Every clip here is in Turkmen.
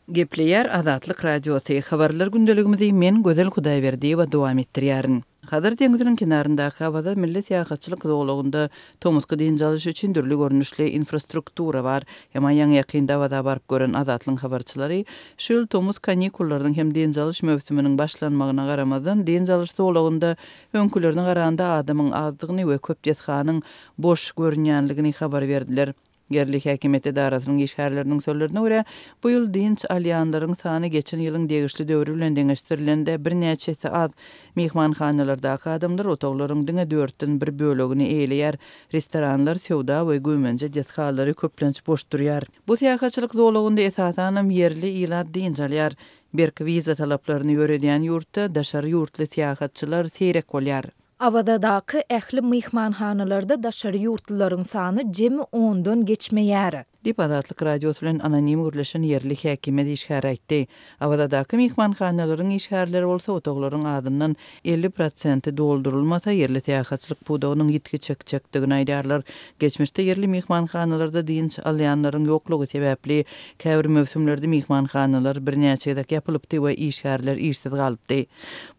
Gepleýär Azatlyk Radiosy, Habarlar gündeligimizi men Gözel Hudaýberdiýewa dowam etdirýärin. Hazar deňziniň kenaryndaky Awaza milli syýahatçylyk zolagynda tomusky dynç alyş üçin dürli görnüşli infrastruktura bar. Emma ýaňy-ýakynda Awaza baryp gören Azatlygyň habarçylary şu ýyl tomus kanikullarynyň hem dynç alyş möwsüminiň başlanmagyna garamazdan dynç alyş zolagynda öňkülerine garanda adamyň azdygyny we köp desganyň boş görünýänligini habar berdiler. Ýerli häkimiýet edarasynyň işgärleriniň sözlerine görä, bu ýyl dynç alýanlaryň sany geçen ýylyň degişli döwri bilen deňeşdirilende birnäçe esse az. Myhmanhanalardaky adamlar otaglaryň diňe dörtden bir bölegini eýeleýär, restoranlar, söwda we güýmenje desgalary köplenç boş durýar. Bu syýahatçylyk zolagynda esasanam ýerli ilat dynç alýar. Berk wiza talaplaryny ýöredýän ýurtda daşary ýurtly syýahatçylar seýrek bolýar. Awazadaky ähli myhmanhanalarda daşary ýurtlularyň sany jemi ondan geçmeýär. Diýip, Azatlyk Radiosy bilen anonim gürleşen ýerli häkimiýet işgäri aýtdy. Awazadaky myhmanhanalaryň işgärleri bolsa otaglaryň azyndan 50 prosenti doldurylmasa, ýerli syýahatçylyk pudagynyň ýitgi çekjekdigini aýdýarlar. Geçmişde ýerli myhmanhanalarda dynç alýanlaryň ýoklugy sebäpli, käbir möwsümlerde myhmanhanalar birnäçe gezek ýapylypdy we işgärler işsiz galypdy.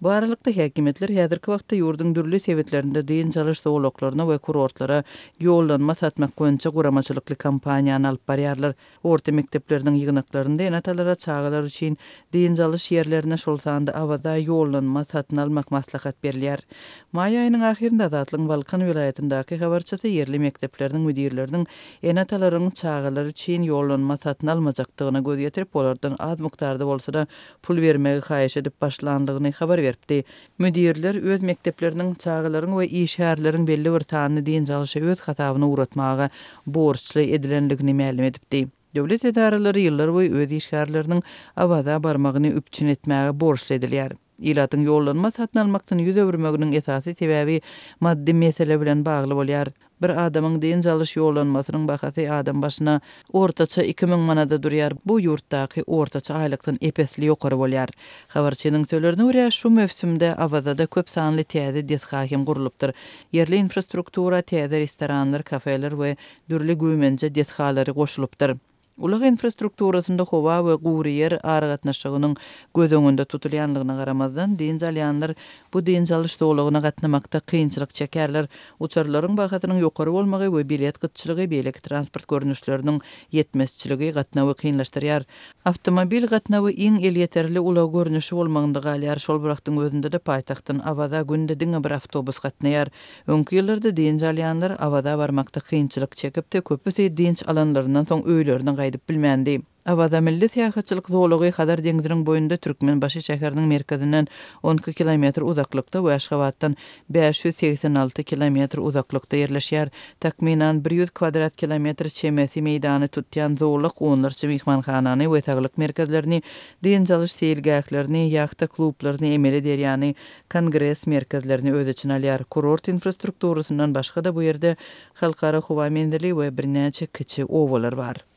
Bu aralykda, häkimiýetler häzirki wagtda ýurduň dürli sebitlerinde dynç alyş zolaklaryna we kurortlara ýollanma satmak boýunça guramaçylykly kampaniýany alyp barýarlar. Orta mekdepleriniň ýygnaklarynda ene-atalara çagalar üçin dynç alyş ýerlerine, şol sanda Awaza ýollanma satyn almak maslahat berilýär. Maý aýynyň ahyrynda Azatlygyň Balkan welaýatyndaky habarçysy ýerli mekdepleriniň müdirleriniň ene-atalaryň çagalary üçin ýollanma satyn almajakdygyna göz ýetirip, olardan az mukdarda bolsa-da pul bermegi haýyş edip başlandygyny habar beripdi. Müdirler öz mekdepleriniň çagalaryň we işgärleriň belli bir sanyny dynç alyşa öz hasabyna ugratmaga borçly edilendigini mälim edipdi. Döwlet edaralary ýyllarboýy öz işgärleriniň Awaza barmagyny üpjün etmäge borçly edilýär. Ilatyň ýollanma satyn almakdan ýüz öwürmeginiň esasy sebäbi maddy mesele bilen bagly bolýar. Bir adamyň dynç alyş ýollanmasynyň bahasy adam başyna ortaça 2000 manada durýar, bu ýurtdaky ortaça aýlykdan ep-esli ýokary bolýar. Habarçynyň sözlerine görä, şu möwsümde Awazada köp sanly täze desga hem gurlupdyr. Ýerli infrastruktura täze restoranlar, kafeler we dürli güýmenje desgalary goşulypdyr. Ulag infrastrukturasynda howa we gury ýer aragatnaşygynyň göz öňünde tutulýanlygyna garamazdan, dynç alýanlar bu dynç alyş zolagyna gatnamakda kynçylyk çekerler. Uçarlaryň bahasynyň ýokary bolmagy we bilet gytçylygy, beýleki transport görnüşleriniň ýetmezçiligi gatnawy kynlaşdyrýar. Awtomobil gatnawy iň elýeterli ulag görnüşi bolmagynda galýar, şol bir wagtyň özünde-de paýtagtdan Awaza günde diňe bir awtobus gatnaýar. Öňki ýyllarda dynç alýanlar Awaza barmakda kynçylyk çekipdi, köpüsi dynç alanlaryndan soň öýlerine gaýdyp bilmändi. Awaza milli syýahatçylyk zolagy Hazar deňziniň boýunda Türkmenbaşy şäheriniň merkezinden 12 kilometr uzaklykda we Aşgabatdan 586 kilometr uzaklykda ýerleşýär. Takmynan 100 kwadrat kilometr çemesi meýdany tutýan zolak onlarça myhmanhanany we saglyk merkezlerini, dynç alyş seýilgählerini, ýahta klublaryny, emeli derýany, kongres merkezlerini öz içine alýar. Kurort infrastrukturasyndan başga-da bu ýerde halkara howa menzili we birnäçe kiçi obalar bar.